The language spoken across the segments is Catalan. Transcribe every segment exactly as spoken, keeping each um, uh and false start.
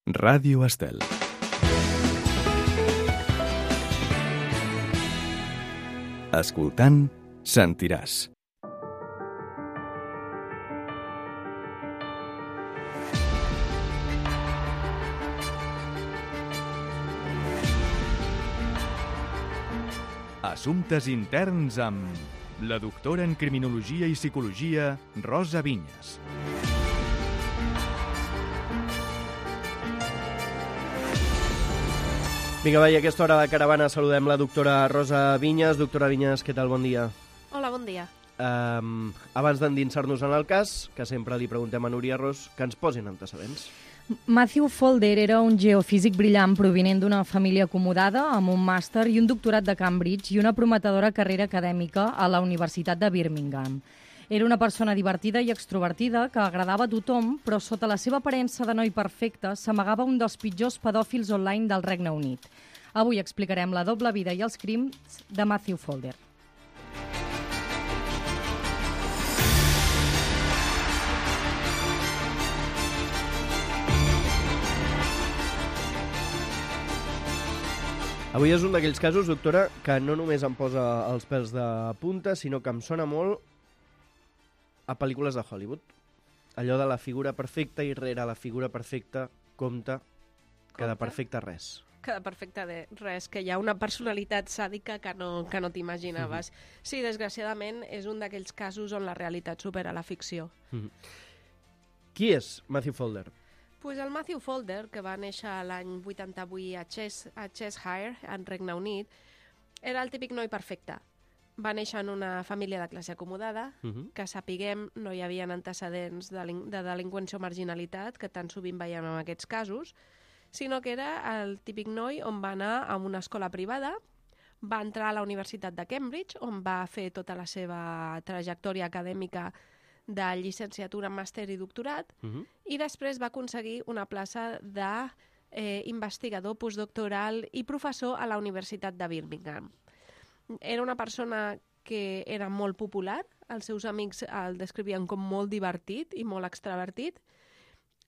Ràdio Estel. Escoltant, sentiràs. Assumptes interns amb la doctora en Criminologia i Psicologia, Rosa Vinyes. Vinga, va, i a aquesta hora de caravana saludem la doctora Rosa Vinyes. Doctora Vinyes, què tal? Bon dia. Hola, bon dia. Um, abans d'endinsar-nos en el cas, que sempre li preguntem a Núria Ros, que ens posin antecedents. Matthew Folder era un geofísic brillant provinent d'una família acomodada amb un màster i un doctorat de Cambridge i una prometedora carrera acadèmica a la Universitat de Birmingham. Era una persona divertida i extrovertida que agradava a tothom, però sota la seva aparença de noi perfecte s'amagava un dels pitjors pedòfils online del Regne Unit. Avui explicarem la doble vida i els crims de Matthew Folder. Avui és un d'aquells casos, doctora, que no només em posa els pèls de punta, sinó que em sona molt a pel·lícules de Hollywood. Allò de la figura perfecta i rere la figura perfecta compta que de perfecte res. Que de perfecte de res, que hi ha una personalitat sàdica que no, que no t'imaginaves. Mm-hmm. Sí, desgraciadament és un d'aquells casos on la realitat supera la ficció. Mm-hmm. Qui és Matthew Folder? Pues el Matthew Folder, que va néixer l'any vuitanta-vuit a, Ches, a Cheshire, en Regne Unit, era el típic noi perfecte. Va néixer en una família de classe acomodada, uh-huh. que sapiguem no hi havia antecedents de, de delinqüència o marginalitat, que tan sovint veiem en aquests casos, sinó que era el típic noi on va anar a una escola privada, va entrar a la Universitat de Cambridge, on va fer tota la seva trajectòria acadèmica de llicenciatura, màster i doctorat, uh-huh. i després va aconseguir una plaça d'investigador eh, postdoctoral i professor a la Universitat de Birmingham. Era una persona que era molt popular, els seus amics el descrivien com molt divertit i molt extravertit,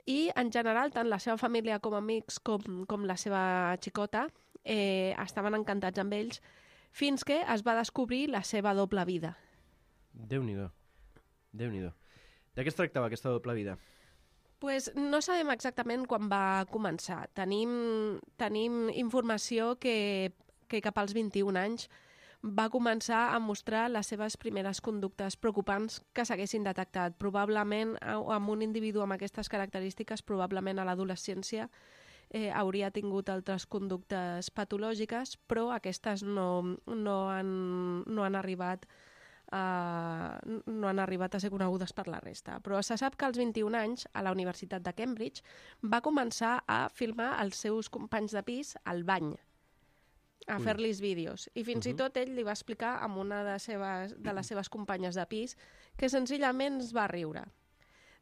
i en general tant la seva família com amics com, com la seva xicota eh, estaven encantats amb ells, fins que es va descobrir la seva doble vida. Déu-n'hi-do. Déu-n'hi-do. De què es tractava aquesta doble vida? Pues no sabem exactament quan va començar. Tenim, tenim informació que, que cap als vint-i-un anys va començar a mostrar les seves primeres conductes preocupants que s'haguessin detectat. Probablement, amb un individu amb aquestes característiques, probablement a l'adolescència eh, hauria tingut altres conductes patològiques, però aquestes no, no, han, no han arribat Uh, no han arribat a ser conegudes per la resta. Però se sap que als vint-i-un anys, a la Universitat de Cambridge, va començar a filmar els seus companys de pis al bany, a fer-los vídeos. I fins uh-huh. i tot ell li va explicar a una de, seves, de les seves companyes de pis que senzillament es va riure.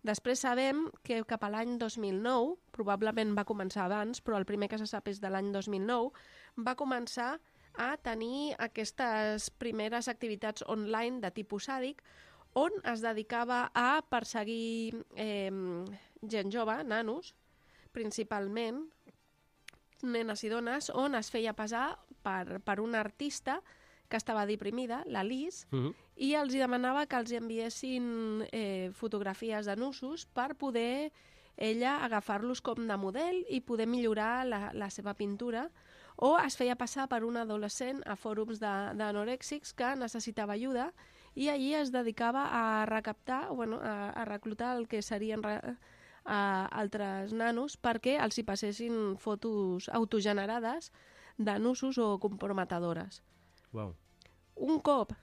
Després sabem que cap a l'any dos mil nou, probablement va començar abans, però el primer que se sap és de l'any dos mil nou, va començar a tenir aquestes primeres activitats online de tipus sàdic on es dedicava a perseguir eh, gent jove, nanos, principalment, nenes i dones, on es feia passar per, per una artista que estava deprimida, la Liz, uh-huh. i els demanava que els enviessin eh, fotografies de nussos per poder ella agafar-los com de model i poder millorar la, la seva pintura, o es feia passar per un adolescent a fòrums d'anorèxics que necessitava ajuda i allí es dedicava a recaptar, bueno, a, a reclutar el que serien re, a altres nanos perquè els hi passessin fotos autogenerades de nussos o comprometedores. Wow. Un cop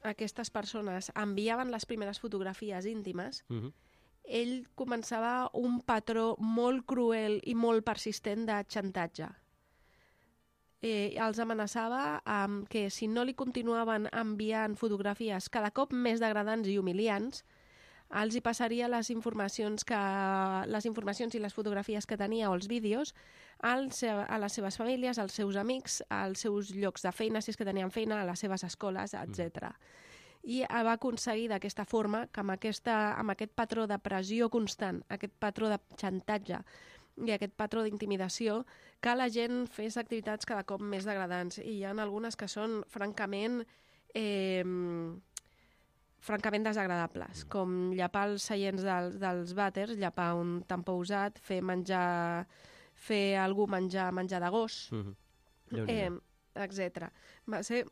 aquestes persones enviaven les primeres fotografies íntimes, uh-huh. ell començava un patró molt cruel i molt persistent de xantatge. Eh, els amenaçava amb que si no li continuaven enviant fotografies cada cop més degradants i humiliants, els hi passaria les informacions, que, les informacions i les fotografies que tenia o els vídeos als, a les seves famílies, als seus amics, als seus llocs de feina, si és que tenien feina, a les seves escoles, etcètera. I va aconseguir d'aquesta forma que amb, aquesta, amb aquest patró de pressió constant, aquest patró de xantatge, i aquest patró d'intimidació que la gent fes activitats cada cop més degradants. I hi ha algunes que són francament eh, francament desagradables, com llapar els seients dels, dels vàters, llapar un tampó usat, fer menjar fer algú menjar menjar de gos, Mm-hmm. eh, etcètera. Va ser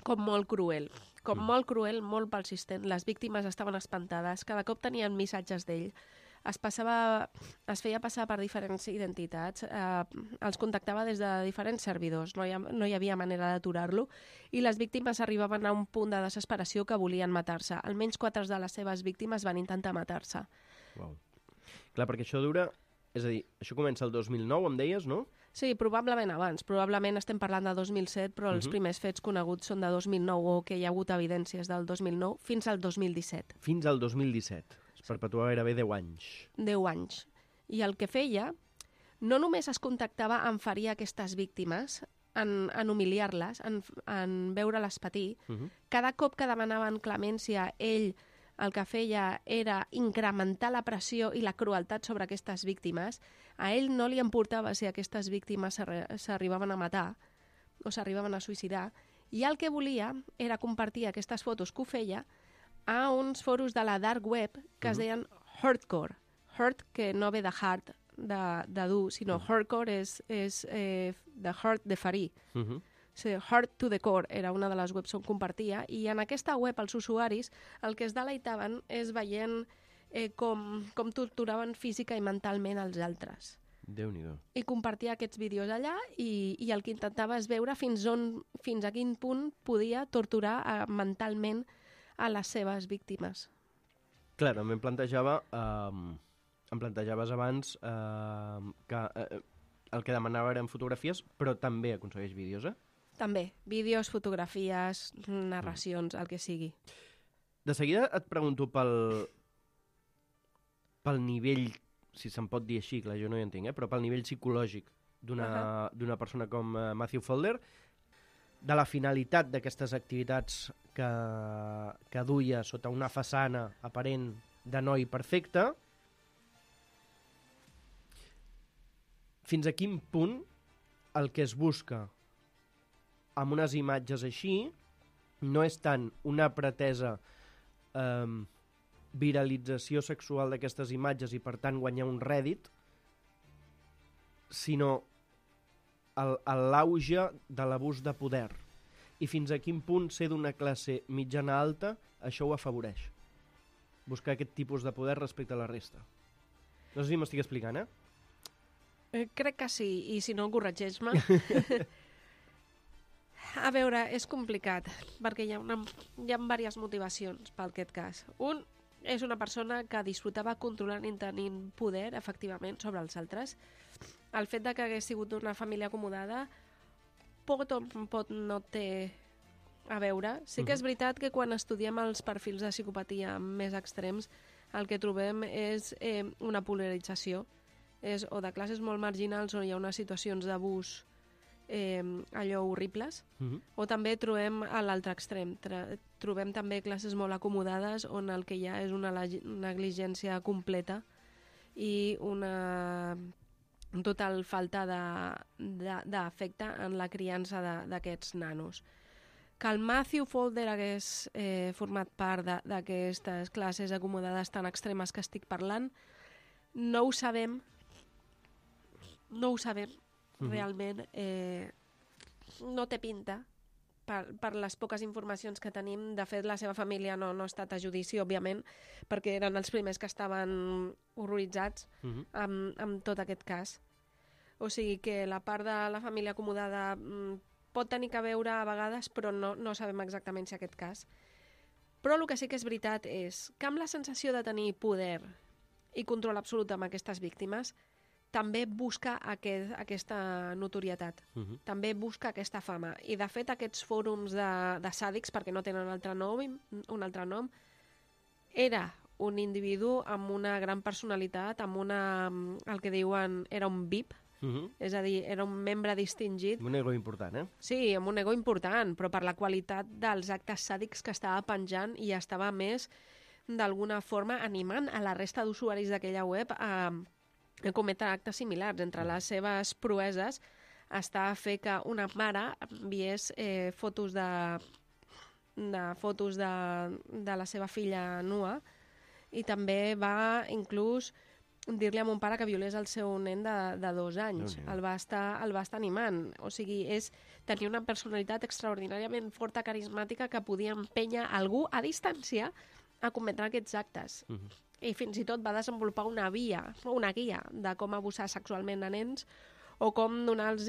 com molt cruel, com Mm. molt cruel, molt persistent. Les víctimes estaven espantades, cada cop tenien missatges d'ell. Es, passava, es feia passar per diferents identitats, eh, els contactava des de diferents servidors, no hi, ha, no hi havia manera d'aturar-lo, i les víctimes arribaven a un punt de desesperació que volien matar-se. Almenys quatre de les seves víctimes van intentar matar-se. Wow. Clar, perquè això dura... És a dir, això comença el dos mil nou, em deies, no? Sí, probablement abans. Probablement estem parlant de dos mil set, però els Mhm. primers fets coneguts són de dos mil nou o que hi ha hagut evidències del dos mil nou fins al dos mil disset. Fins al dos mil disset. Es perpetua gairebé deu anys. deu anys. I el que feia, no només es contactava en ferir aquestes víctimes, en, en humiliar-les, en, en veure-les patir, Uh-huh. cada cop que demanaven clemència, ell el que feia era incrementar la pressió i la crueltat sobre aquestes víctimes. A ell no li importava si aquestes víctimes s'arri- s'arribaven a matar o s'arribaven a suïcidar, i el que volia era compartir aquestes fotos que ho feia a uns foros de la dark web que es Mhm. deien Hurtcore. Hurt, que no ve de hard, de, de dur, sinó Mhm. Hurtcore és, és eh, de hurt, de ferir. Uh-huh. Sí, Hard to the Core era una de les webs on compartia, i en aquesta web els usuaris el que es deleitaven és veient eh, com, com torturaven física i mentalment els altres. Déu-n'hi-do. I compartia aquests vídeos allà, i, i el que intentava és veure fins, on, fins a quin punt podia torturar eh, mentalment a les seves víctimes. Clar, també em plantejava... Um, em plantejaves abans uh, que uh, el que demanava eren fotografies, però també aconsegueix vídeos, eh? També, vídeos, fotografies, narracions, el que sigui. De seguida et pregunto pel, pel nivell, si se'n pot dir així, clar, jo no hi entenc, eh? Però pel nivell psicològic d'una d'una persona com uh, Matthew Folder, de la finalitat d'aquestes activitats que, que duia sota una façana aparent de noi perfecte, fins a quin punt el que es busca amb unes imatges així no és tant una pretesa eh, viralització sexual d'aquestes imatges i per tant guanyar un rèdit, sinó el- el- l'auge de l'abús de poder. I fins a quin punt ser d'una classe mitjana alta això ho afavoreix. Buscar aquest tipus de poder respecte a la resta. No sé si m'estic explicant, eh? Eh, crec que sí, i si no, corregeix-me. A veure, és complicat, perquè hi ha, una, hi ha diverses motivacions per aquest cas. Un és una persona que disfrutava controlant i tenint poder, efectivament, sobre els altres. El fet de que hagués sigut d'una família acomodada pot o pot no té a veure. Sí que és veritat que quan estudiem els perfils de psicopatia més extrems, el que trobem és eh, una polarització. És o de classes molt marginals on hi ha unes situacions d'abús eh, allò horribles, Uh-huh. o també trobem a l'altre extrem. Tra trobem també classes molt acomodades on el que hi ha és una negligència completa i una total falta d'afecte en la criança d'aquests nanos. Que el Matthew Folder hagués eh, format part d'aquestes classes acomodades tan extremes que estic parlant, no ho sabem, no ho sabem, Mhm. realment. Eh, no té pinta, per, per les poques informacions que tenim. De fet, la seva família no, no ha estat a judici, òbviament, perquè eren els primers que estaven horroritzats Uh-huh. amb, amb tot aquest cas. O sigui que la part de la família acomodada mm, pot tenir que veure a vegades, però no, no sabem exactament si aquest cas. Però el que sí que és veritat és que amb la sensació de tenir poder i control absolut amb aquestes víctimes, també busca aquest, aquesta notorietat, Uh-huh. també busca aquesta fama. I, de fet, aquests fòrums de, de sàdics, perquè no tenen altre nom, un altre nom, era un individu amb una gran personalitat, amb una, el que diuen, era un V I P, Uh-huh. és a dir, era un membre distingit. Un ego important, eh? Sí, amb un ego important, però per la qualitat dels actes sàdics que estava penjant, i estava més, d'alguna forma, animant a la resta d'usuaris d'aquella web a, cometre actes similars. Entre les seves proeses està a fer que una mare enviés eh, fotos de, de fotos de, de la seva filla nua, i també va inclús dir-li a mon pare que violés el seu nen de, de dos anys. El va, estar, el va estar animant. O sigui, és tenir una personalitat extraordinàriament forta, carismàtica, que podia empènyer algú a distància a cometre aquests actes. Uh -huh. I fins i tot va desenvolupar una via, una guia de com abusar sexualment a nens o com donar-los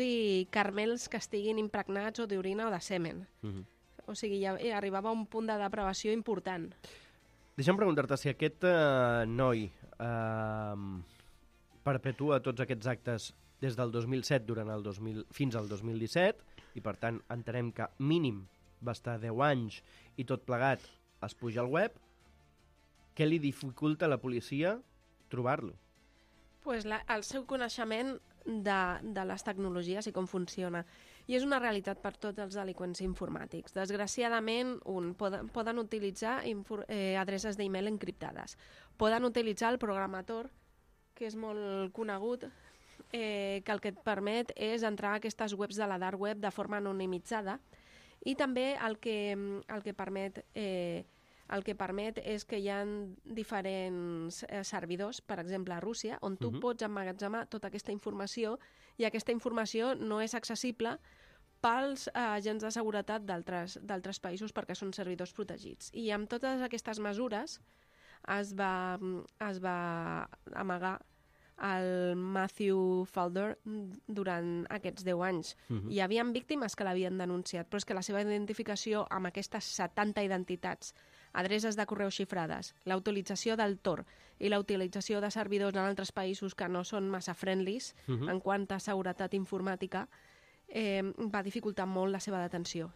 carmels que estiguin impregnats o d'orina o de semen. Uh -huh. O sigui, ja arribava a un punt de depravació important. Deixa'm preguntar-te si aquest eh, noi eh, perpetua tots aquests actes des del dos mil set durant el dos mil, fins al dos mil disset, i per tant entenem que mínim va estar deu anys i tot plegat es puja al web, què li dificulta a la policia trobar-lo? Pues la, el seu coneixement de, de les tecnologies i com funciona. I és una realitat per tots els delinqüents informàtics. Desgraciadament, un, poden, poden utilitzar infor, eh, adreces d'e-mail encriptades. Poden utilitzar el programator, que és molt conegut, eh, que el que et permet és entrar a aquestes webs de la dark web de forma anonimitzada, i també el que, el que permet... Eh, El que permet és que hi ha diferents eh, servidors, per exemple a Rússia, on tu uh-huh. pots emmagatzemar tota aquesta informació, i aquesta informació no és accessible pels eh, agents de seguretat d'altres països perquè són servidors protegits. I amb totes aquestes mesures es va, es va amagar el Matthew Falder durant aquests deu anys. Uh-huh. Hi havia víctimes que l'havien denunciat, però és que la seva identificació amb aquestes setanta identitats, adreces de correu xifrades, la utilització del Tor i la utilització de servidors en altres països que no són massa friendlies uh-huh. en quant a seguretat informàtica, eh, va dificultar molt la seva detenció.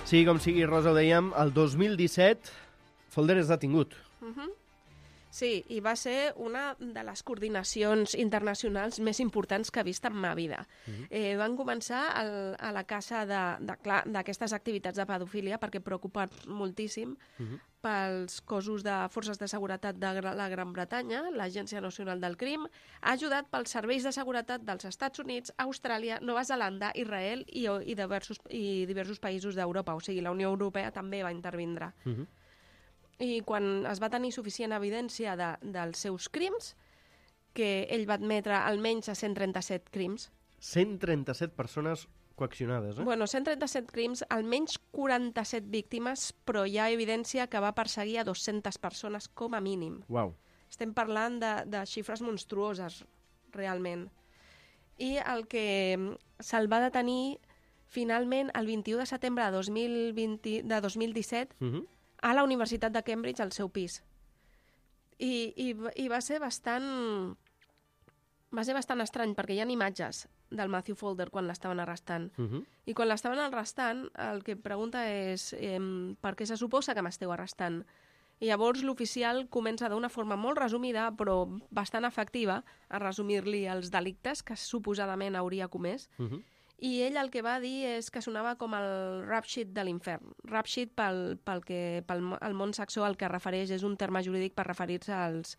Sí, com sigui, Rosa, ho dèiem, el dos mil disset Folder és detingut. Uh-huh. Sí, i va ser una de les coordinacions internacionals més importants que he vist en ma vida. Uh-huh. eh, van començar el, a la caça d'aquestes activitats de pedofília perquè preocupen moltíssim uh-huh. pels cossos de forces de seguretat de la Gran Bretanya, l'Agència Nacional del Crim, ajudat pels serveis de seguretat dels Estats Units, Austràlia, Nova Zelanda, Israel i, i, diversos, i diversos països d'Europa. O sigui, la Unió Europea també va intervindre. Uh-huh. I quan es va tenir suficient evidència de, dels seus crims, que ell va admetre almenys a cent trenta-set crims. cent trenta-set persones coaccionades, eh? Bueno, cent trenta-set crims, almenys quaranta-set víctimes, però hi ha evidència que va perseguir a dues-centes persones com a mínim. Uau. Estem parlant de, de xifres monstruoses, realment. I el que se'l va detenir finalment el vint-i-u de setembre de dos mil vint, de dos mil disset, uh-huh. a la Universitat de Cambridge, al seu pis. I, i, i va ser bastant... Va ser bastant estrany, perquè hi ha imatges del Matthew Folder quan l'estaven arrestant. Uh-huh. I quan l'estaven arrestant, el que pregunta és eh, per què se suposa que m'esteu arrestant? I llavors l'oficial comença d'una forma molt resumida, però bastant efectiva, a resumir-li els delictes que suposadament hauria comès. Uh-huh. I ell el que va dir és que sonava com el rap sheet de l'infern. Rap sheet, pel, pel que pel el món saxó, el que refereix és un terme jurídic per referir-se als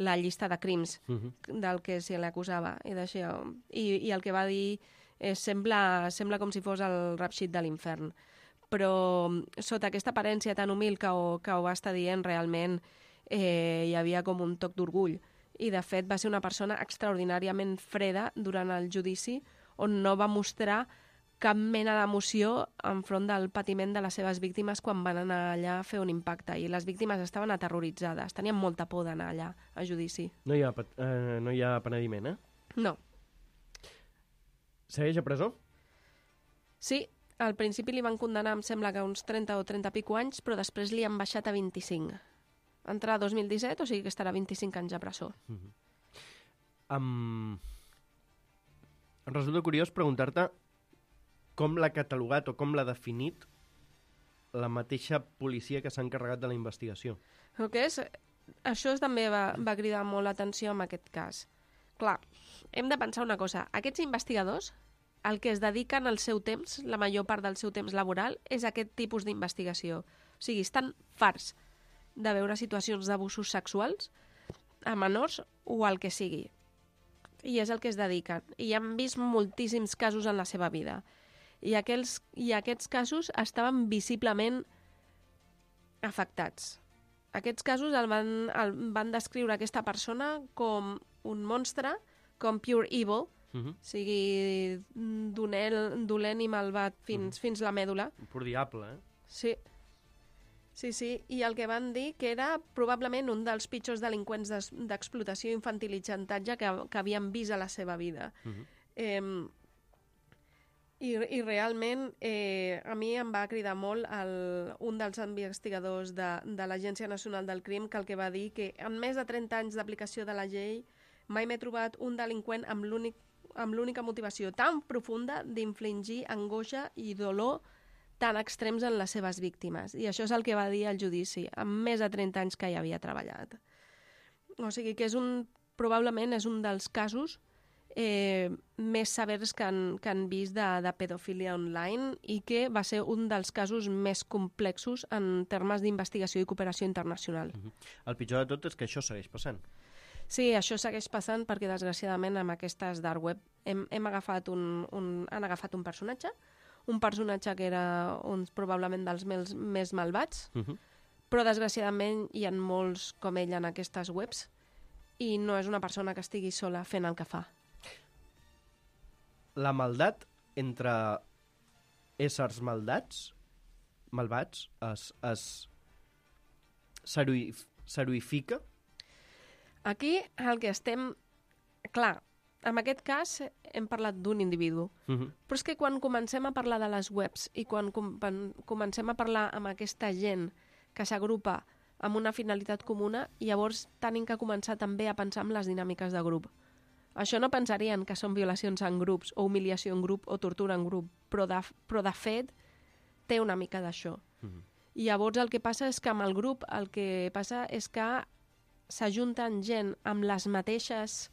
la llista de crims uh-huh. del que se l'acusava. I, I, I el que va dir és, sembla, sembla com si fos el rap sheet de l'infern. Però sota aquesta aparència tan humil que ho, que ho va estar dient, realment eh, hi havia com un toc d'orgull. I de fet va ser una persona extraordinàriament freda durant el judici, on no va mostrar cap mena d'emoció enfront del patiment de les seves víctimes quan van anar allà a fer un impacte. I les víctimes estaven aterroritzades, tenien molta por d'anar allà a judici. No hi ha, eh, no hi ha penediment, eh? No. Segueix a presó? Sí, al principi li van condenar, em sembla que uns trenta o trenta pico anys, però després li han baixat a vint-i-cinc. Entrà a dos mil disset, o sigui que estarà vint-i-cinc anys a presó. Uh-huh. Um... Em resulta curiós preguntar-te com l'ha catalogat o com l'ha definit la mateixa policia que s'ha encarregat de la investigació. El que és, això també va, va cridar molt l'atenció en aquest cas, clar, hem de pensar una cosa. Aquests investigadors, el que es dediquen al seu temps, la major part del seu temps laboral, és aquest tipus d'investigació. O sigui, estan farts de veure situacions d'abusos sexuals a menors o el que sigui. I és el que es dediquen. I han vist moltíssims casos en la seva vida. I, aquells, i aquests casos estaven visiblement afectats. Aquests casos el van, el van descriure aquesta persona com un monstre, com pure evil, Uh-huh. o sigui, dolent, dolent i malvat fins, uh-huh. fins la mèdula. Un pur diable, eh? Sí. Sí, sí, i el que van dir que era probablement un dels pitjors delinqüents d'explotació infantil i xantatge que, que havien vist a la seva vida. Uh-huh. Eh, i, I realment eh, a mi em va cridar molt el, un dels investigadors de, de l'Agència Nacional del Crim, que el que va dir que en més de trenta anys d'aplicació de la llei mai m'he trobat un delinqüent amb l'únic amb l'única motivació tan profunda d'infligir angoixa i dolor tan extrems en les seves víctimes. I això és el que va dir al judici, amb més de trenta anys que hi havia treballat. O sigui que és un, probablement és un dels casos eh, més severs que han, que han vist de, de pedofília online i que va ser un dels casos més complexos en termes d'investigació i cooperació internacional. Uh-huh. El pitjor de tot és que això segueix passant. Sí, això segueix passant perquè, desgraciadament, amb aquestes dark web hem, hem agafat un, un, han agafat un personatge, un personatge que era un, probablement dels més, més malvats, Uh-huh. però, desgraciadament, hi ha molts com ell en aquestes webs i no és una persona que estigui sola fent el que fa. La maldat entre éssers maldats, malvats, es, es s'heroïf, s'heroïfica. Aquí el que estem... Clar, en aquest cas hem parlat d'un individu, Uh-huh. però és que quan comencem a parlar de les webs i quan com comencem a parlar amb aquesta gent que s'agrupa amb una finalitat comuna, llavors tenim que començar també a pensar en les dinàmiques de grup. Això no pensarien que són violacions en grups o humiliació en grup o tortura en grup, però de, però de fet té una mica d'això. Uh-huh. I llavors el que passa és que amb el grup el que passa és que s'ajunten gent amb les mateixes